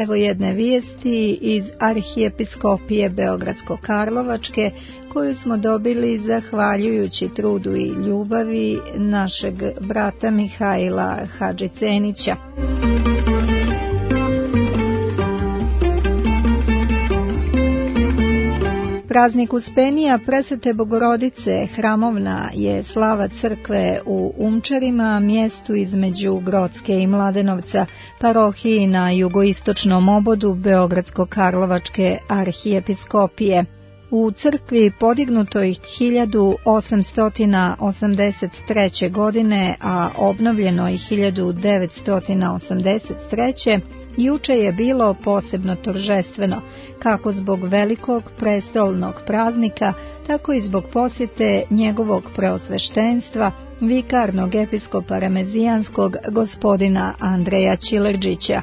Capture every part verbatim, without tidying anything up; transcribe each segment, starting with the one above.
evo jedne vijesti iz Arhijepiskopije Beogradsko-Karlovačke koju smo dobili zahvaljujući trudu i ljubavi našeg brata Mihajla Hadžicenića. Praznik Uspenija Presvete Bogorodice hramovna je slava crkve u Umčarima, mjestu između Grocke i Mladenovca, parohiji na jugoistočnom obodu Beogradsko-Karlovačke arhijepiskopije. U crkvi podignutoj hiljadu osamsto osamdeset treće. godine, a obnovljenoj hiljadu devetsto osamdeset treće. juče je bilo posebno toržestveno, kako zbog velikog prestolnog praznika, tako i zbog posjete njegovog preosveštenstva, vikarnog episkopa Remezijanskog gospodina Andreja Čilerđića.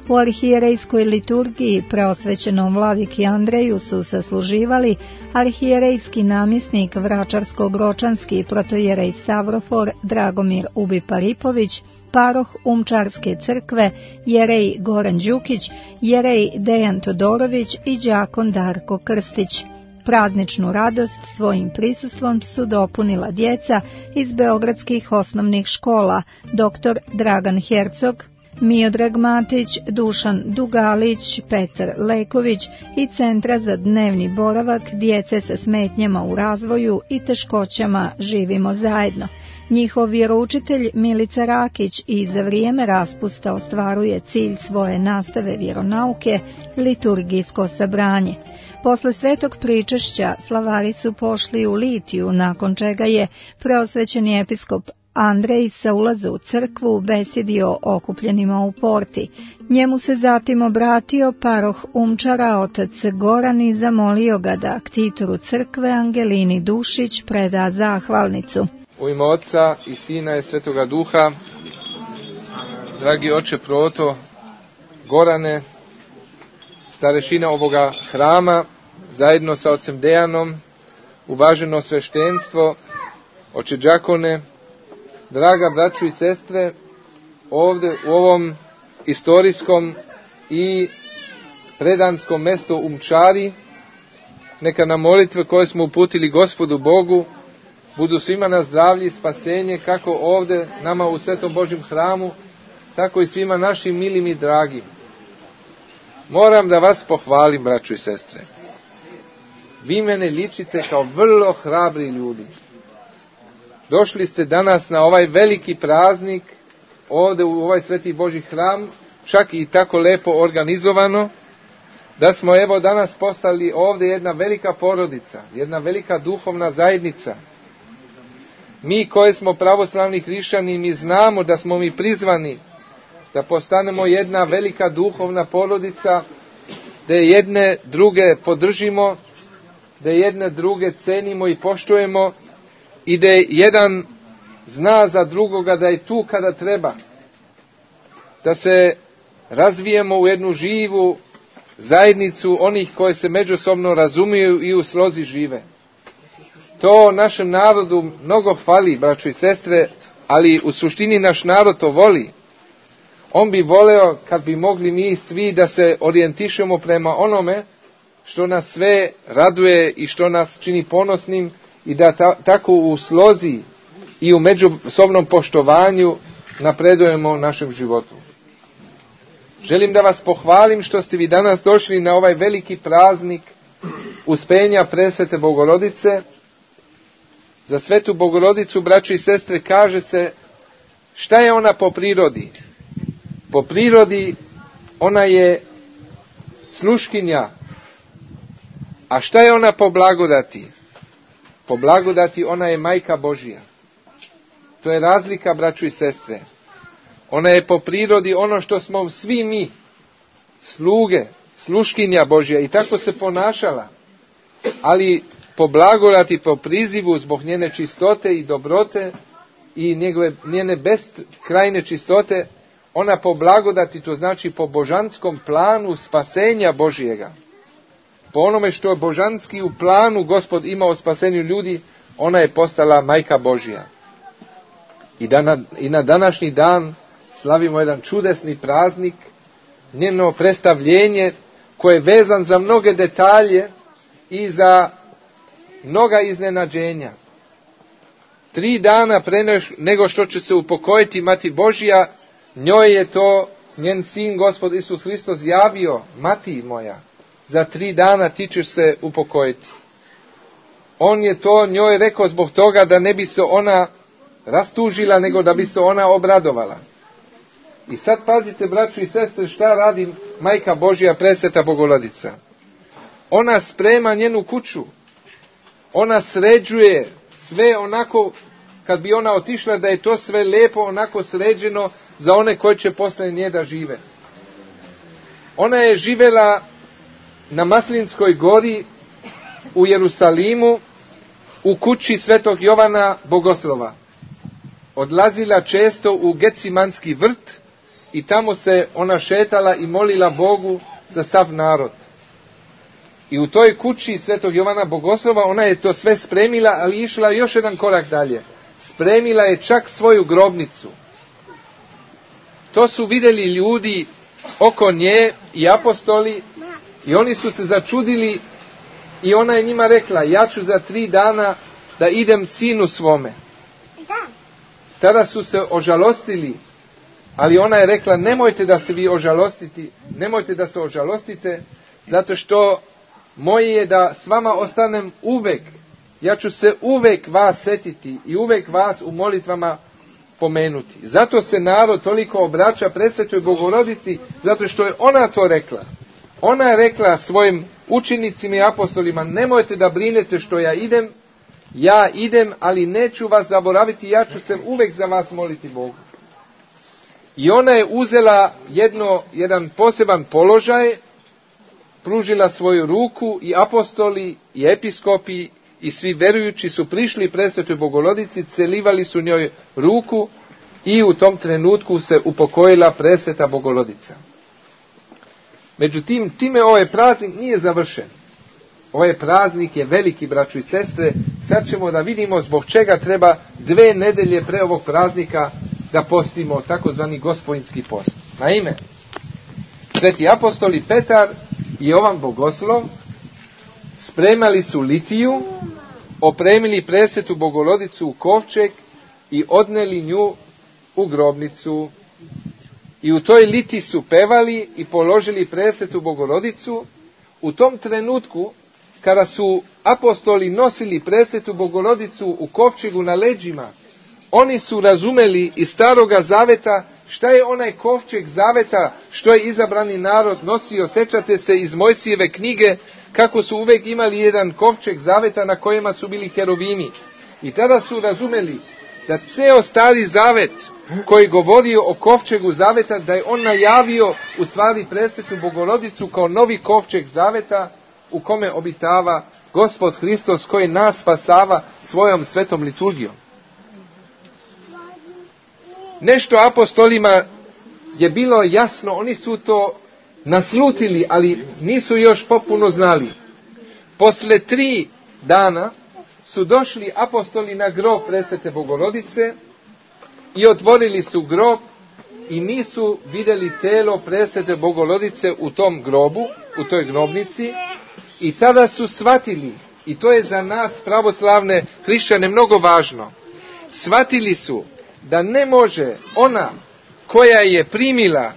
U arhijerejskoj liturgiji preosvećenom vladiki Andreju su sasluživali arhijerejski namjesnik Vračarsko-Gročanski protojerej Stavrofor Dragomir Ubiparipović, paroh Umčarske crkve jerej Goran Đukić, jerej Dejan Todorović i đakon Darko Krstić. Prazničnu radost svojim prisustvom su dopunila djeca iz beogradskih osnovnih škola, doktor Dragan Hercog, Miodrag Matić, Dušan Dugalić, Petar Leković i Centra za dnevni boravak djece sa smetnjama u razvoju i teškoćama Živimo zajedno. Njihov vjeroučitelj Milica Rakić i za vrijeme raspusta ostvaruje cilj svoje nastave vjeronauke, liturgijsko sabranje. Posle svetog pričešća slavari su pošli u litiju, nakon čega je preosvećeni episkop Andrej sa ulaza u crkvu besjedio okupljenima u porti. Njemu se zatim obratio paroh Umčara otac Goran i zamolio ga da ktitoru crkve Angelini Dušić preda zahvalnicu. U ime Oca i Sina i Svetoga Duha, dragi oče Proto, Gorane, starešina ovoga hrama, zajedno sa ocem Dejanom, uvaženo sveštenstvo, oče đakone, draga braćo i sestre, ovdje u ovom istorijskom i predanskom mjestu Umčari, neka nam molitve koje smo uputili Gospodu Bogu budu svima na zdravlje i spasenje, kako ovdje nama u Svetom Božjem hramu, tako i svima našim milim i dragim. Moram da vas pohvalim, braćo i sestre. Vi mene ličite kao vrlo hrabri ljudi. Došli ste danas na ovaj veliki praznik, ovdje u ovaj Sveti Božji hram, čak i tako lepo organizovano, da smo evo danas postali ovdje jedna velika porodica, jedna velika duhovna zajednica. Mi koji smo pravoslavni hrišćani, mi znamo da smo mi prizvani da postanemo jedna velika duhovna porodica, da jedne druge podržimo, da jedne druge cenimo i poštujemo i da jedan zna za drugoga da je tu kada treba. Da se razvijemo u jednu živu zajednicu onih koji se međusobno razumiju i u slozi žive. To našem narodu mnogo fali, braćo i sestre, ali u suštini naš narod to voli. On bi voleo kad bi mogli mi svi da se orijentišemo prema onome što nas sve raduje i što nas čini ponosnim i da ta, tako u slozi i u međusobnom poštovanju napredujemo u našem životu. Želim da vas pohvalim što ste vi danas došli na ovaj veliki praznik Uspenja Presvete Bogorodice. Za Svetu Bogorodicu, braćo i sestre, kaže se šta je ona po prirodi. Po prirodi ona je sluškinja. A šta je ona po blagodati? Po blagodati ona je Majka Božja. To je razlika, braćo i sestre. Ona je po prirodi ono što smo svi mi, sluge, sluškinja Božja, i tako se ponašala. Ali po blagodati, po prizivu, zbog njene čistote i dobrote i njegove, njene beskrajne čistote, ona po blagodati, to znači po božanskom planu spasenja Božjega. Po onome što je božanski u planu Gospod imao o spasenju ljudi, ona je postala Majka Božja. I, da na, i na današnji dan slavimo jedan čudesni praznik, njeno predstavljenje koje je vezan za mnoge detalje i za mnoga iznenađenja. Tri dana pre nego što će se upokojiti Mati Božja, njoj je to njen sin Gospod Isus Hristos javio: mati moja, za tri dana ti ćeš se upokojiti. On je to njoj rekao zbog toga da ne bi se ona rastužila, nego da bi se ona obradovala. I sad pazite, braćo i sestre, šta radi Majka Božja, presveta Bogorodica. Ona sprema njenu kuću. Ona sređuje sve onako, kad bi ona otišla, da je to sve lijepo onako sređeno za one koji će posle nje da žive. Ona je živela na Maslinskoj gori u Jerusalimu, u kući svetog Jovana Bogoslova. Odlazila često u Gecimanski vrt i tamo se ona šetala i molila Bogu za sav narod. I u toj kući svetog Jovana Bogoslova ona je to sve spremila, ali išla još jedan korak dalje. Spremila je čak svoju grobnicu. To su vidjeli ljudi oko nje i apostoli i oni su se začudili i ona je njima rekla: ja ću za tri dana da idem sinu svome. Tada su se ožalostili, ali ona je rekla: nemojte da se vi ožalostiti, nemojte da se ožalostite, zato što moje je da s vama ostanem uvek. Ja ću se uvek vas setiti i uvek vas u molitvama pomenuti. Zato se narod toliko obraća presvetoj Bogorodici, zato što je ona to rekla. Ona je rekla svojim učenicima i apostolima: nemojte da brinete što ja idem, ja idem, ali neću vas zaboraviti, ja ću se uvek za vas moliti Bogu. I ona je uzela jedno, jedan poseban položaj, pružila svoju ruku i apostoli i episkopi i svi verujući su prišli presvetoj Bogorodici, celivali su njoj ruku i u tom trenutku se upokojila presveta Bogorodica. Međutim, time ovaj praznik nije završen. Ovaj praznik je veliki, braćo i sestre. Sad ćemo da vidimo zbog čega treba dve nedelje pre ovog praznika da postimo takozvani gospodinski post. Naime, sveti apostoli Petar i Jovan Bogoslov spremali su litiju, opremili presvetu Bogorodicu u kovčeg i odneli nju u grobnicu. I u toj liti su pevali i položili presvetu Bogorodicu. U tom trenutku, kada su apostoli nosili presvetu Bogorodicu u kovčegu na leđima, oni su razumeli iz Staroga Zaveta šta je onaj kovčeg Zaveta što je izabrani narod nosio. Sećate se iz Mojsijeve knjige kako su uvek imali jedan kovčeg Zaveta na kojima su bili heruvimi. I tada su razumeli da ceo Stari Zavet koji govorio o kovčegu Zaveta, da je on najavio u stvari presvetu Bogorodicu kao novi kovčeg Zaveta u kome obitava Gospod Hristos, koji nas spasava svojom svetom liturgijom. Nešto apostolima je bilo jasno, oni su to naslutili, ali nisu još popuno znali. Posle tri dana su došli apostoli na grob presvete Bogorodice i otvorili su grob i nisu vidjeli telo presvete Bogorodice u tom grobu, u toj grobnici, i tada su shvatili, i to je za nas pravoslavne hrišćane mnogo važno, shvatili su da ne može ona koja je primila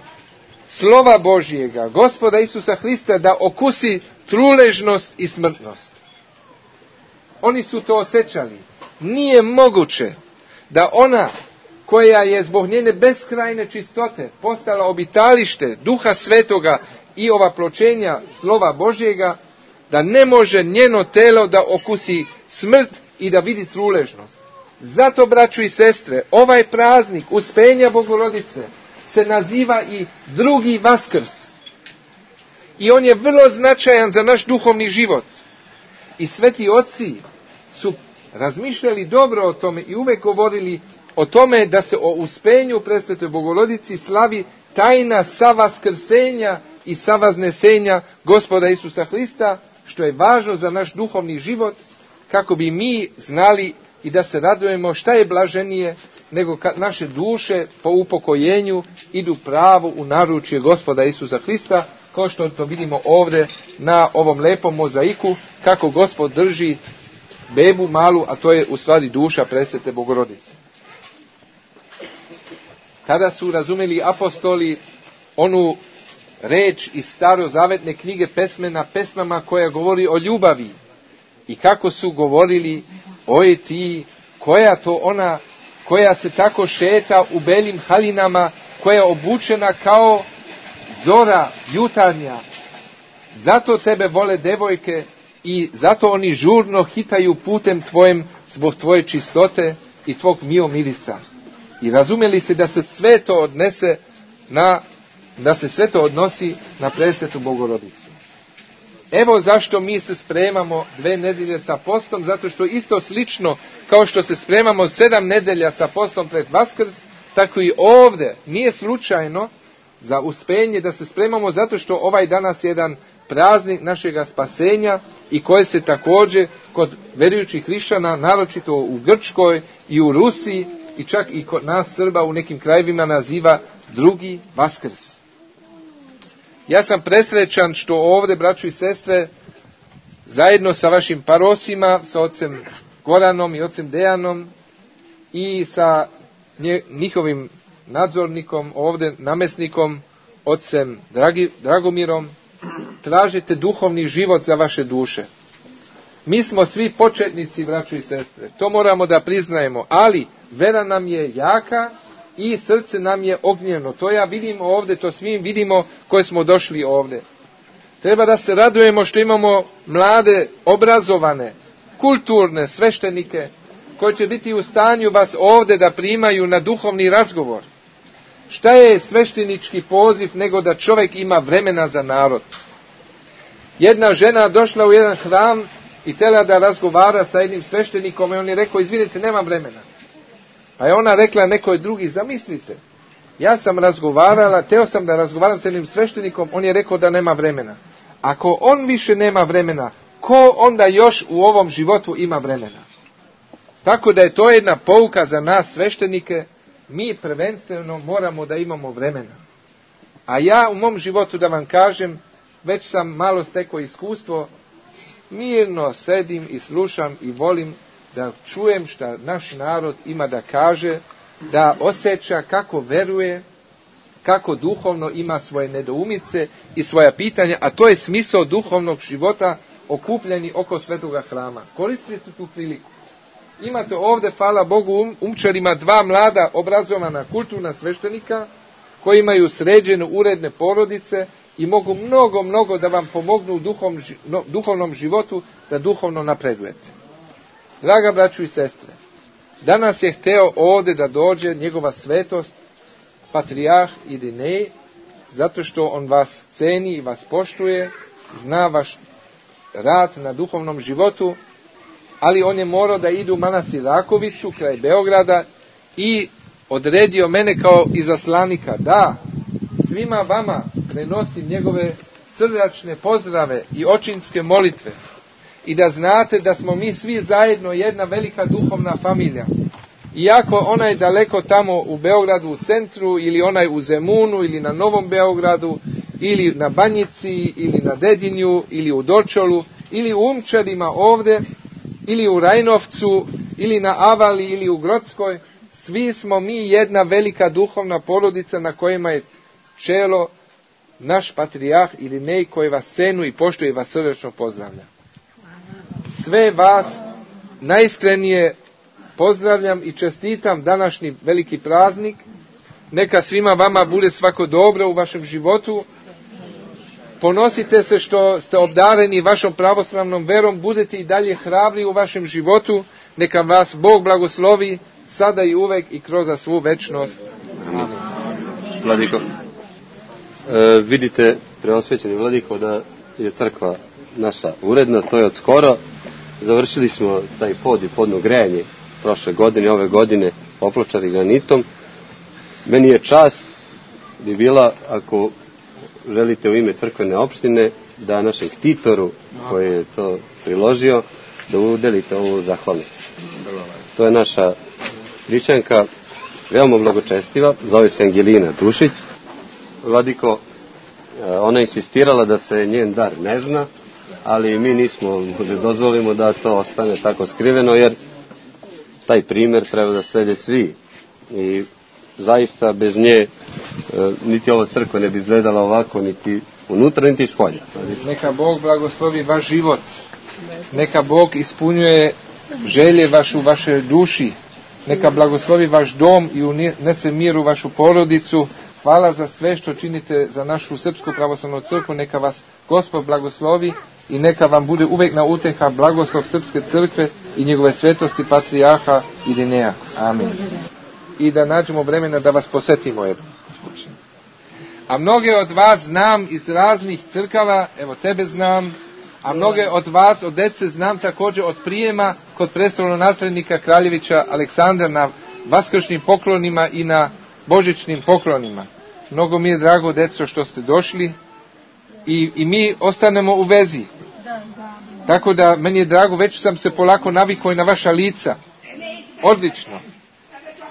slova Božjega, Gospoda Isusa Hrista, da okusi truležnost i smrtnost. Oni su to osjećali. Nije moguće da ona koja je zbog njene beskrajne čistote postala obitalište Duha Svetoga i ovapločenja slova Božjega, da ne može njeno telo da okusi smrt i da vidi truležnost. Zato, braćo i sestre, ovaj praznik Uspenja Bogorodice se naziva i drugi Vaskrs. I on je vrlo značajan za naš duhovni život. I sveti oci su razmišljali dobro o tome i uvek govorili o tome da se o uspenju presvetoj Bogorodici slavi tajna savaskrsenja i savaznesenja Gospoda Isusa Hrista, što je važno za naš duhovni život, kako bi mi znali i da se radujemo. Šta je blaženije nego kad naše duše po upokojenju idu pravo u naručje Gospoda Isusa Hrista, kao što to vidimo ovdje na ovom lepom mozaiku, kako Gospod drži bebu malu, a to je u stvari duša presvete Bogorodice. Kada su razumeli apostoli onu reč iz starozavetne knjige pesmena pesmama koja govori o ljubavi, i kako su govorili, oj ti, koja to ona koja se tako šeta u belim halinama, koja je obučena kao zora jutarnja. Zato tebe vole devojke i zato oni žurno hitaju putem tvojem zbog tvoje čistote i tvog mio mirisa. I razumjeli se da se sve to odnese na, da se sve to odnosi na presvetu Bogorodicu. Evo zašto mi se spremamo dve nedelje sa postom, zato što isto slično kao što se spremamo sedam nedelja sa postom pred Vaskrs, tako i ovdje nije slučajno za uspenje da se spremamo, zato što ovaj danas je jedan praznik našega spasenja i koje se također kod vjerujućih hrišćana, naročito u Grčkoj i u Rusiji i čak i kod nas Srba u nekim krajevima naziva drugi Vaskrs. Ja sam presrećan što ovdje, braćo i sestre, zajedno sa vašim parosima, sa ocem Goranom i ocem Dejanom i sa njihovim nadzornikom, ovdje namjesnikom, ocem Dragi, Dragomirom, tražite duhovni život za vaše duše. Mi smo svi početnici, braćo i sestre, to moramo da priznajemo, ali vera nam je jaka i srce nam je ognjeno. To ja vidim ovdje, to svim vidimo koji smo došli ovdje. Treba da se radujemo što imamo mlade, obrazovane, kulturne sveštenike koji će biti u stanju vas ovdje da primaju na duhovni razgovor. Šta je sveštenički poziv nego da čovjek ima vremena za narod? Jedna žena došla u jedan hram i htjela da razgovara sa jednim sveštenikom i on je rekao, izvinite, nemam vremena. A je ona rekla nekoj drugi, zamislite, ja sam razgovarala, teo sam da razgovaram sa jednim sveštenikom, on je rekao da nema vremena. Ako on više nema vremena, ko onda još u ovom životu ima vremena? Tako da je to jedna pouka za nas sveštenike, mi prvenstveno moramo da imamo vremena. A ja u mom životu, da vam kažem, već sam malo stekao iskustvo, mirno sedim i slušam i volim da čujem šta naš narod ima da kaže, da osjeća kako veruje, kako duhovno ima svoje nedoumice i svoja pitanja, a to je smisao duhovnog života okupljeni oko svetoga hrama. Koristite tu priliku. Imate ovdje, hvala Bogu, um, umčarima dva mlada obrazovana kulturna sveštenika koji imaju sređene uredne porodice i mogu mnogo, mnogo da vam pomognu u duhom, no, duhovnom životu da duhovno napredujete. Draga braću i sestre, danas je hteo ovdje da dođe njegova svetost, patrijarh Irinej, zato što on vas ceni i vas poštuje, zna vaš rad na duhovnom životu, ali on je morao da ide u manastir Rakovicu, kraj Beograda, i odredio mene kao izaslanika, da svima vama prenosim njegove srdačne pozdrave i očinske molitve i da znate da smo mi svi zajedno jedna velika duhovna familija. Iako onaj daleko tamo u Beogradu u centru, ili onaj u Zemunu, ili na Novom Beogradu, ili na Banjici, ili na Dedinju, ili u Dorčolu, ili u Umčarima ovdje, ili u Rajnovcu, ili na Avali, ili u Grodskoj, svi smo mi jedna velika duhovna porodica na kojima je čelo naš patrijarh Irinej, koji vas cenu i poštuje i vas srdečno pozdravlja. Sve vas najiskrenije pozdravljam i čestitam današnji veliki praznik. Neka svima vama bude svako dobro u vašem životu. Ponosite se što ste obdareni vašom pravoslavnom verom, budete i dalje hrabri u vašem životu. Neka vas Bog blagoslovi sada i uvek i kroz svu večnost. Amen. Vladiko, e, vidite, preosvećeni Vladiko, da je crkva naša uredna, to je od skoro. Završili smo taj pod i podno grejanje prošle godine, ove godine opločari granitom. Meni je čast bi bila, ako želite u ime crkvene opštine, da našem ktitoru koji je to priložio, da udelite ovu zahvalnicu. To je naša hrišćanka, veoma blagočestiva, zove se Angelina Dušić. Vladiko, ona insistirala da se njen dar ne zna, ali mi nismo da dozvolimo da to ostane tako skriveno, jer taj primjer treba da slede svi. I zaista bez nje niti ova crkva ne bi izgledala ovako, niti unutra, niti spolja. Neka Bog blagoslovi vaš život. Neka Bog ispunjuje želje vašu, vaše duši. Neka blagoslovi vaš dom i unese mir u vašu porodicu. Hvala za sve što činite za našu Srpsku pravoslavnu crkvu. Neka vas Gospod blagoslovi i neka vam bude uvek na uteha blagoslov Srpske crkve i njegove svetosti patrijarha Irineja. Amen. I da nađemo vremena da vas posetimo. Evo. A mnoge od vas znam iz raznih crkava, evo tebe znam, a mnoge od vas, od dece, znam također od prijema kod prestolonaslednika Kraljevića Aleksandra na vaskršnjim poklonima i na božićnim poklonima. Mnogo mi je drago, deco, što ste došli i, i mi ostanemo u vezi. Tako da meni je drago, već sam se polako navikao i na vaša lica. Odlično.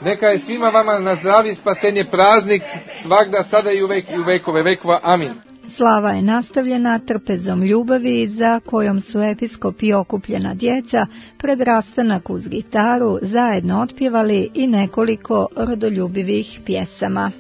Neka je svima vama na zdravlje i spasenje praznik svagda, sada i uvek i u vekove vekova. Amin. Slava je nastavljena trpezom ljubavi za kojom su episkop i okupljena djeca pred rastanak uz gitaru zajedno otpjevali i nekoliko rodoljubivih pjesama.